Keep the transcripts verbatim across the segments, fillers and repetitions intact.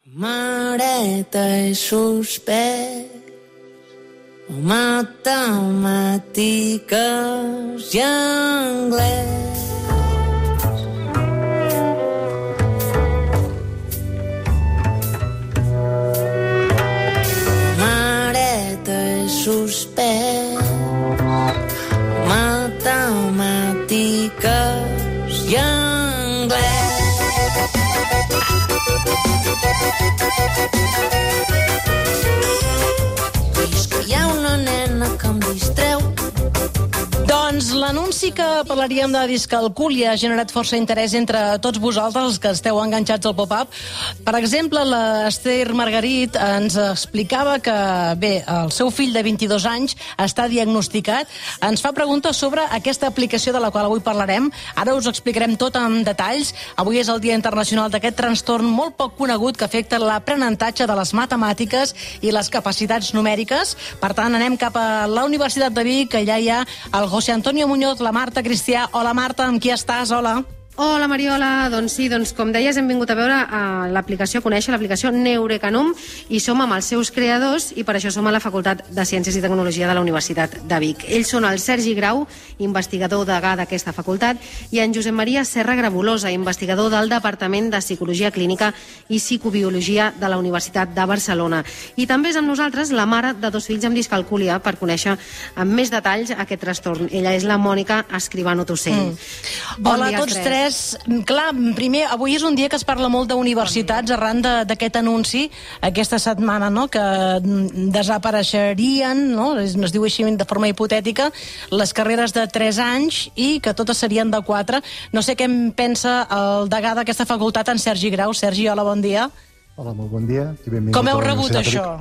Mareta i suspès, matemàtiques i anglès. Mareta i suspès, matemàtiques i anglès. És que hi ha una nena que em distreu. Doncs l'anunci que parlaríem de discalcúlia ha generat força interès entre tots vosaltres, els que esteu enganxats al pop-up. Per exemple, l'Esther Margarit ens explicava que, bé, el seu fill de vint-i-dos anys està diagnosticat. Ens fa preguntes sobre aquesta aplicació de la qual avui parlarem. Ara us explicarem tot en detalls. Avui és el Dia Internacional d'aquest trastorn molt poc conegut que afecta l'aprenentatge de les matemàtiques i les capacitats numèriques. Per tant, anem cap a la Universitat de Vic, que allà hi ha el José Antonio Muñoz, la Marta Cristià. Hola, Marta, amb qui estàs? Hola. Hola, Mariola. Doncs sí, doncs com deies, hem vingut a veure uh, l'aplicació, a conèixer l'aplicació Neurecanum, i som amb els seus creadors, i per això som a la Facultat de Ciències i Tecnologia de la Universitat de Vic. Ells són el Sergi Grau, investigador degà d'aquesta facultat, i en Josep Maria Serra Grabulosa, investigador del Departament de Psicologia Clínica i Psicobiologia de la Universitat de Barcelona. I també és amb nosaltres la mare de dos fills amb discalcúlia, per conèixer amb més detalls aquest trastorn. Ella és la Mònica Escribano Tossell. Mm. Bon Hola a tots tres. Clar, primer, avui és un dia que es parla molt d'universitats arran d'aquest anunci aquesta setmana, no?, que desapareixerien, no?, es, es diu així de forma hipotètica, les carreres de tres anys i que totes serien de quatre. No sé què en pensa el degà d'aquesta facultat, en Sergi Grau. Sergi, hola, bon dia. Hola, molt bon dia. I benvingut. Com heu rebut això?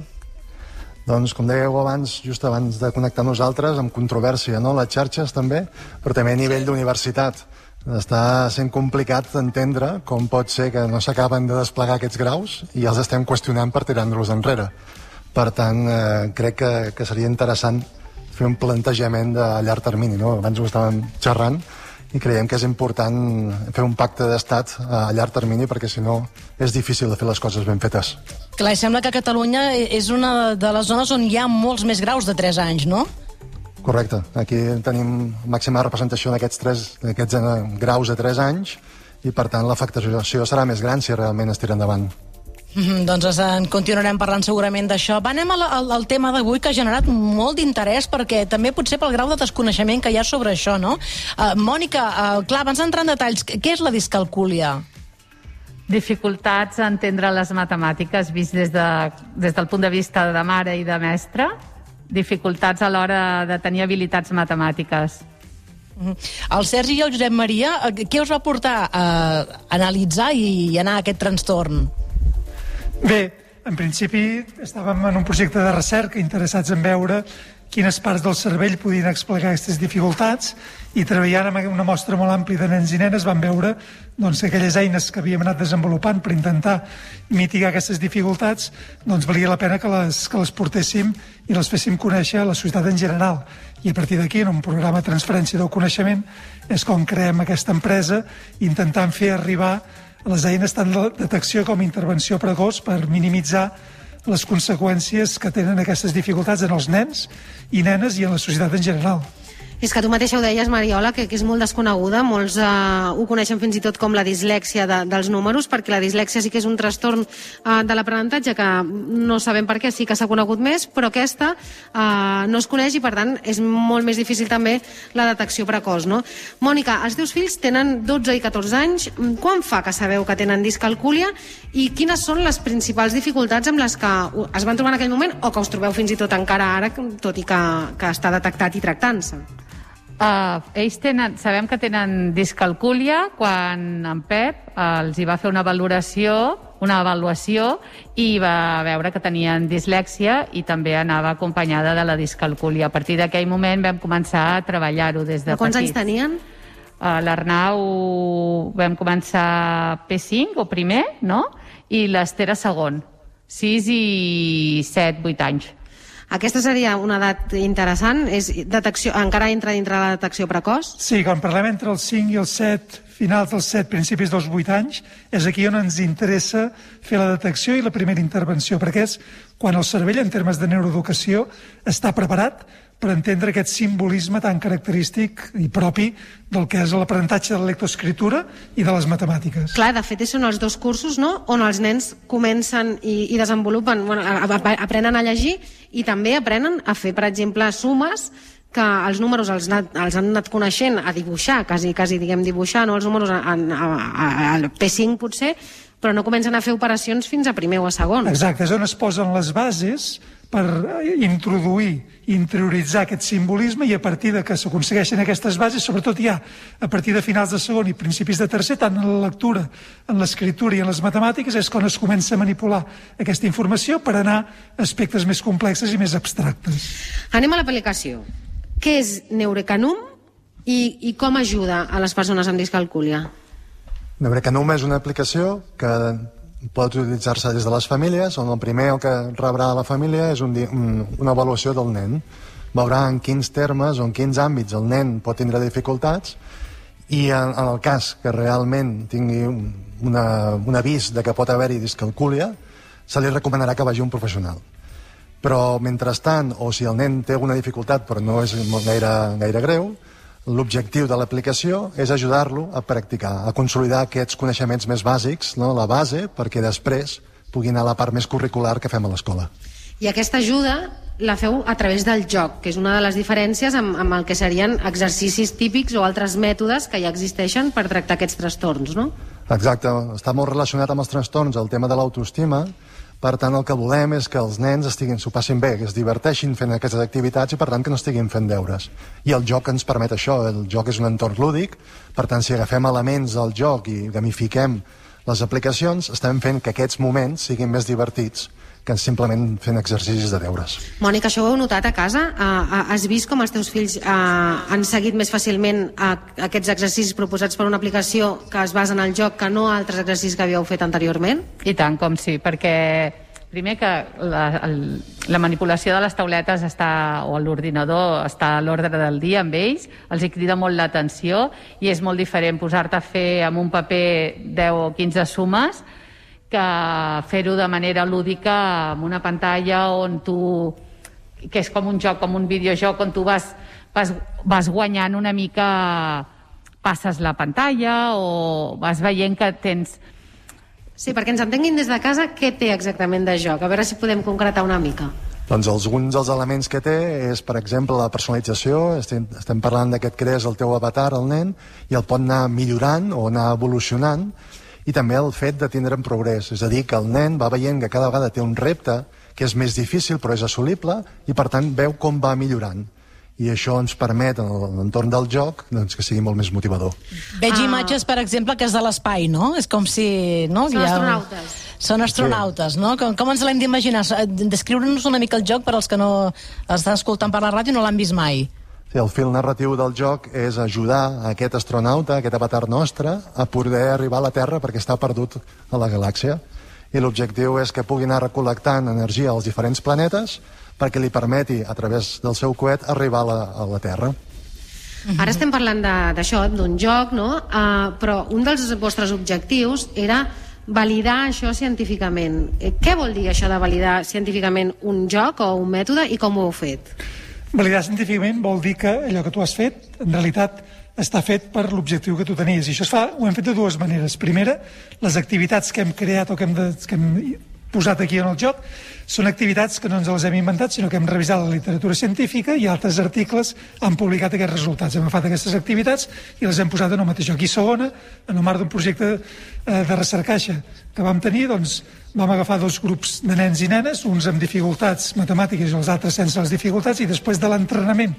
Doncs, com dèieu abans, just abans de connectar nosaltres, amb controvèrsia, no?, les xarxes també, però també a nivell d'universitat. Està sent complicat entendre com pot ser que no s'acaben de desplegar aquests graus i els estem qüestionant per tirar-los enrere. Per tant, eh, crec que, que seria interessant fer un plantejament de llarg termini, no? Abans ho estàvem xerrant i creiem que és important fer un pacte d'estat a llarg termini, perquè si no és difícil de fer les coses ben fetes. Clar, i sembla que Catalunya és una de les zones on hi ha molts més graus de tres anys, no? Correcte. Aquí tenim màxima representació d'aquests tres d'aquests graus de tres anys i, per tant, l'afectació serà més gran si realment es tira endavant. Mm-hmm, doncs en continuarem parlant segurament d'això. Va, anem al, al, al tema d'avui, que ha generat molt d'interès, perquè també potser pel grau de desconeixement que hi ha sobre això, no? Uh, Mònica, uh, clar, abans d'entrar en detalls, què és la discalcúlia? Dificultats a entendre les matemàtiques vist des, de, des del punt de vista de mare i de mestre. Dificultats a l'hora de tenir habilitats matemàtiques. El Sergi i el Josep Maria, què us va portar a analitzar i anar a aquest trastorn? Bé, en principi estàvem en un projecte de recerca interessats en veure quines parts del cervell podien explicar aquestes dificultats, i treballant amb una mostra molt àmplia de nens i nenes vam veure doncs, que aquelles eines que havíem anat desenvolupant per intentar mitigar aquestes dificultats, doncs valia la pena que les, que les portéssim i les féssim conèixer a la societat en general. I a partir d'aquí, en un programa de transferència del coneixement, és com creem aquesta empresa, intentant fer arribar les eines tant de detecció com intervenció precoç per minimitzar les conseqüències que tenen aquestes dificultats en els nens i nenes i en la societat en general. És que tu mateixa ho deies, Mariola, que, que és molt desconeguda. Molts eh, ho coneixen fins i tot com la dislèxia de, dels números, perquè la dislèxia sí que és un trastorn eh, de l'aprenentatge que no sabem per què, sí que s'ha conegut més, però aquesta eh, no es coneix i, per tant, és molt més difícil també la detecció precoç, no? Mònica, els teus fills tenen dotze i catorze anys. Quan fa que sabeu que tenen discalcúlia i quines són les principals dificultats amb les que es van trobar en aquell moment o que us trobeu fins i tot encara ara, tot i que, que està detectat i tractant-se? Uh, ells tenen, sabem que tenen discalcúlia quan en Pep uh, els hi va fer una valoració, una avaluació, i va veure que tenien dislèxia i també anava acompanyada de la discalcúlia. A partir d'aquell moment vam començar a treballar-ho des de petits. Quants anys tenien? Uh, L'Arnau vam començar P cinc o primer, no? I l'Esther a segon. sis i set, vuit anys. Aquesta seria una edat interessant? És detecció, encara entra dintre la detecció precoç? Sí, quan parlem entre els cinc i els set finals dels set, principis dels vuit anys, és aquí on ens interessa fer la detecció i la primera intervenció, perquè és quan el cervell, en termes de neuroeducació, està preparat per entendre aquest simbolisme tan característic i propi del que és l'aprenentatge de la lectoescriptura i de les matemàtiques. Clar, de fet, són els dos cursos, no?, on els nens comencen i, i desenvolupen, bueno, aprenen a llegir i també aprenen a fer, per exemple, sumes, que els números els, anat, els han anat coneixent a dibuixar, quasi, quasi diguem dibuixar, no els números al P cinc potser, però no comencen a fer operacions fins a primer o a segon. Exacte, és on es posen les bases per introduir, interioritzar aquest simbolisme, i a partir de que s'aconsegueixen aquestes bases, sobretot ja a partir de finals de segon i principis de tercer, tant en la lectura, en l'escriptura i en les matemàtiques, és quan es comença a manipular aquesta informació per anar a aspectes més complexes i més abstractes. Anem a l'aplicació. Què és Neurecanum i, i com ajuda a les persones amb discalcúlia? Neurecanum és una aplicació que pot utilitzar-se des de les famílies, on el primer el que rebrà la família és un, un, una avaluació del nen. Veurà en quins termes o en quins àmbits el nen pot tindre dificultats, i en, en el cas que realment tingui un, una, un avís de que pot haver-hi discalcúlia, se li recomanarà que vagi a un professional. Però mentrestant, o si el nen té alguna dificultat però no és gaire, gaire greu, l'objectiu de l'aplicació és ajudar-lo a practicar, a consolidar aquests coneixements més bàsics, no? La base, perquè després pugui anar a la part més curricular que fem a l'escola. I aquesta ajuda la feu a través del joc, que és una de les diferències amb, amb el que serien exercicis típics o altres mètodes que ja existeixen per tractar aquests trastorns, no? Exacte, està molt relacionat amb els trastorns, el tema de l'autoestima. Per tant, el que volem és que els nens estiguin, s'ho passin bé, que es diverteixin fent aquestes activitats i, per tant, que no estiguin fent deures. I el joc ens permet això. El joc és un entorn lúdic, per tant, si agafem elements del joc i gamifiquem les aplicacions, estem fent que aquests moments siguin més divertits que simplement fent exercicis de deures. Mònica, això ho heu notat a casa? Uh, has vist com els teus fills uh, han seguit més fàcilment uh, aquests exercicis proposats per una aplicació que es basa en el joc que no altres exercicis que havíeu fet anteriorment? I tant, com sí, perquè primer que la, el, la manipulació de les tauletes està, o l'ordinador està a l'ordre del dia amb ells, els hi crida molt l'atenció i és molt diferent posar-te a fer amb un paper deu o quinze sumes que fer-ho de manera lúdica amb una pantalla on tu, que és com un joc, com un videojoc, on tu vas, vas, vas guanyant una mica, passes la pantalla o vas veient que tens... Sí, perquè ens entenguin des de casa què té exactament de joc, a veure si podem concretar una mica. Doncs alguns dels elements que té és, per exemple, la personalització. Estem, estem parlant de que et crees el teu avatar, el nen, i el pot anar millorant o anar evolucionant, i també el fet de tindre en progrés, és a dir, que el nen va veient que cada vegada té un repte que és més difícil però és assolible i per tant veu com va millorant. I això ens permet, en l'entorn del joc, doncs, que sigui molt més motivador. Veig Ah. imatges, per exemple, que és de l'espai, no? És com si... No? Són Hi ha- astronautes. Són astronautes, no? Com, com ens l'hem d'imaginar? Descriure-nos una mica el joc per als que no estan escoltant per la ràdio i no l'han vist mai. Sí, el fil narratiu del joc és ajudar a aquest astronauta, a aquest avatar nostre, a poder arribar a la Terra perquè està perdut a la galàxia. I l'objectiu és que pugui anar recol·lectant energia als diferents planetes perquè li permeti, a través del seu coet, arribar a la, a la Terra. Ara estem parlant de- d'això, d'un joc, no? Uh, però un dels vostres objectius era validar això científicament. Eh, què vol dir això de validar científicament un joc o un mètode i com ho heu fet? Validar científicament vol dir que allò que tu has fet, en realitat, està fet per l'objectiu que tu tenies. I això es fa, ho hem fet de dues maneres. Primera, les activitats que hem creat o que hem, de, que hem posat aquí en el joc són activitats que no ens les hem inventat, sinó que hem revisat la literatura científica i altres articles han publicat aquests resultats. Hem agafat aquestes activitats i les hem posat en el mateix joc. I segona, en el marc d'un projecte eh, de recercaixa que vam tenir, doncs, vam agafar dos grups de nens i nenes, uns amb dificultats matemàtiques i els altres sense les dificultats, i després de l'entrenament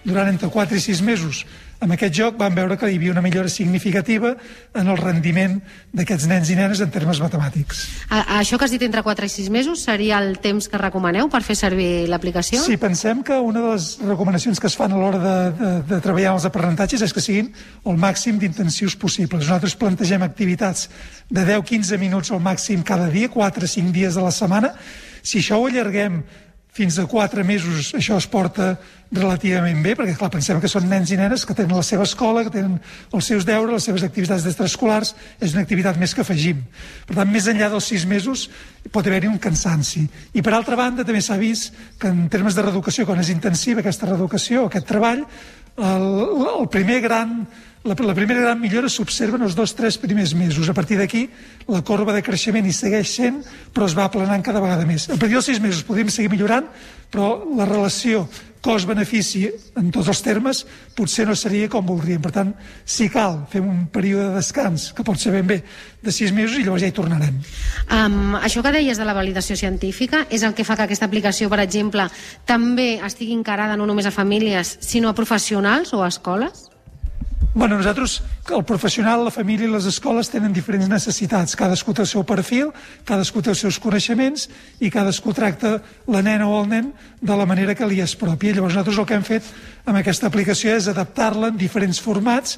durant entre quatre i sis mesos amb aquest joc vam veure que hi havia una millora significativa en el rendiment d'aquests nens i nenes en termes matemàtics. A, a això que has dit entre quatre i sis mesos seria el temps que recomaneu per fer servir l'aplicació? Sí, pensem que una de les recomanacions que es fan a l'hora de, de, de treballar els aprenentatges és que siguin el màxim d'intensius possibles. Nosaltres plantegem activitats de deu a quinze minuts al màxim cada dia, quatre a cinc dies de la setmana. Si això ho allarguem fins a quatre mesos això es porta relativament bé, perquè clar, pensem que són nens i nenes que tenen la seva escola, que tenen els seus deures, les seves activitats d'extraescolars, és una activitat més que afegim. Per tant, més enllà dels sis mesos pot haver-hi un cansanci. I per altra banda, també s'ha vist que en termes de reeducació, quan és intensiva aquesta reeducació, aquest treball, el, el primer gran... La, la primera gran millora s'observa en els dos o tres primers mesos. A partir d'aquí, la corba de creixement hi segueix sent, però es va aplanant cada vegada més. A partir dels sis mesos podem seguir millorant, però la relació cost-benefici en tots els termes potser no seria com voldríem. Per tant, si cal, fem un període de descans, que pot ser ben bé de sis mesos, i llavors ja hi tornarem. Um, això que deies de la validació científica és el que fa que aquesta aplicació, per exemple, també estigui encarada no només a famílies, sinó a professionals o a escoles? Bueno, nosaltres, el professional, la família i les escoles tenen diferents necessitats. Cadascú té el seu perfil, cadascú té els seus coneixements i cadascú tracta la nena o el nen de la manera que li és pròpia. Llavors nosaltres el que hem fet amb aquesta aplicació és adaptar-la en diferents formats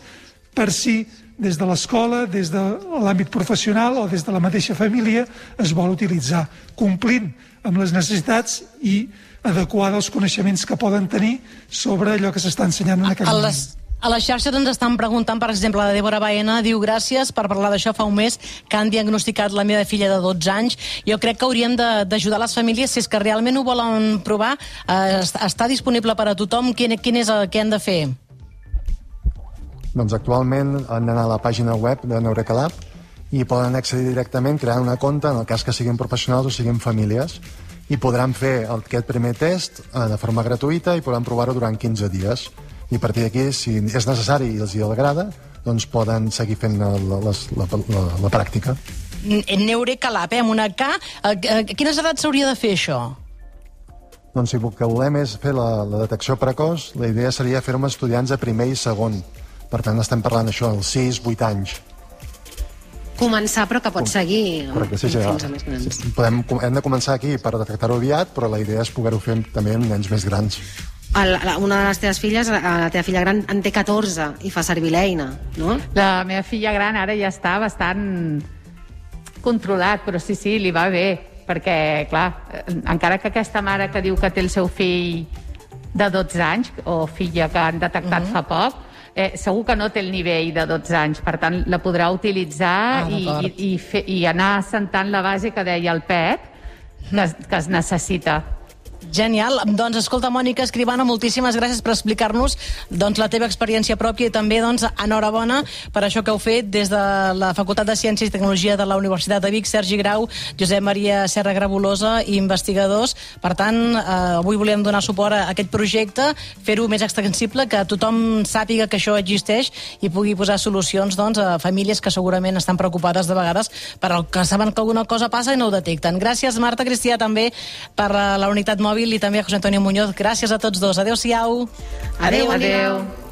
per si des de l'escola, des de l'àmbit professional o des de la mateixa família es vol utilitzar, complint amb les necessitats i adequada als coneixements que poden tenir sobre allò que s'està ensenyant en aquell moment. A les xarxes ens estan preguntant, per exemple, la Débora Baena diu gràcies per parlar d'això fa un mes que han diagnosticat la meva filla de dotze anys. Jo crec que hauríem d'ajudar les famílies si és que realment ho volen provar. Eh, està disponible per a tothom. Quin, quin és el que han de fer? Doncs actualment han d'anar a la pàgina web de Neureca-Lab i poden accedir directament creant una compte en el cas que siguin professionals o siguin famílies i podran fer aquest primer test de forma gratuïta i podran provar-ho durant quinze dies. I a partir d'aquí, si és necessari i els hi agrada, doncs poden seguir fent la, la, la, la, la pràctica. Neureca-Lab, eh, amb una K. A quines edats s'hauria de fer això? Doncs si el que volem és fer la, la detecció precoç, la idea seria fer-ho amb estudiants de primer i segon. Per tant, estem parlant d'això, dels sis vuit anys. Començar, però que pot seguir Correcte, sí, sí, fins a més grans. Podem, hem de començar aquí per detectar-ho aviat, però la idea és poder-ho fer també amb nens més grans. El, una de les teves filles, la teva filla gran, en té catorze i fa servir l'eina, no? La meva filla gran ara ja està bastant controlat, però sí, sí, li va bé, perquè, clar, encara que aquesta mare que diu que té el seu fill de dotze anys, o filla que han detectat uh-huh. fa poc, eh, segur que no té el nivell de dotze anys, per tant, la podrà utilitzar ah, i, i, i, fer, i anar assentant la base que deia el Pep, que es, que es necessita. Genial. Doncs, escolta, Mònica Escribano, moltíssimes gràcies per explicar-nos doncs, la teva experiència pròpia i també doncs, enhorabona per això que heu fet des de la Facultat de Ciències i Tecnologia de la Universitat de Vic, Sergi Grau, Josep Maria Serra Grabolosa i investigadors. Per tant, eh, avui volem donar suport a aquest projecte, fer-ho més extensible, que tothom sàpiga que això existeix i pugui posar solucions doncs, a famílies que segurament estan preocupades de vegades per el que saben que alguna cosa passa i no ho detecten. Gràcies, Marta Cristià, també per la unitat mòbil i també a José Antonio Muñoz. Gràcies a tots dos. Adéu-siau. Adéu, adéu. adéu.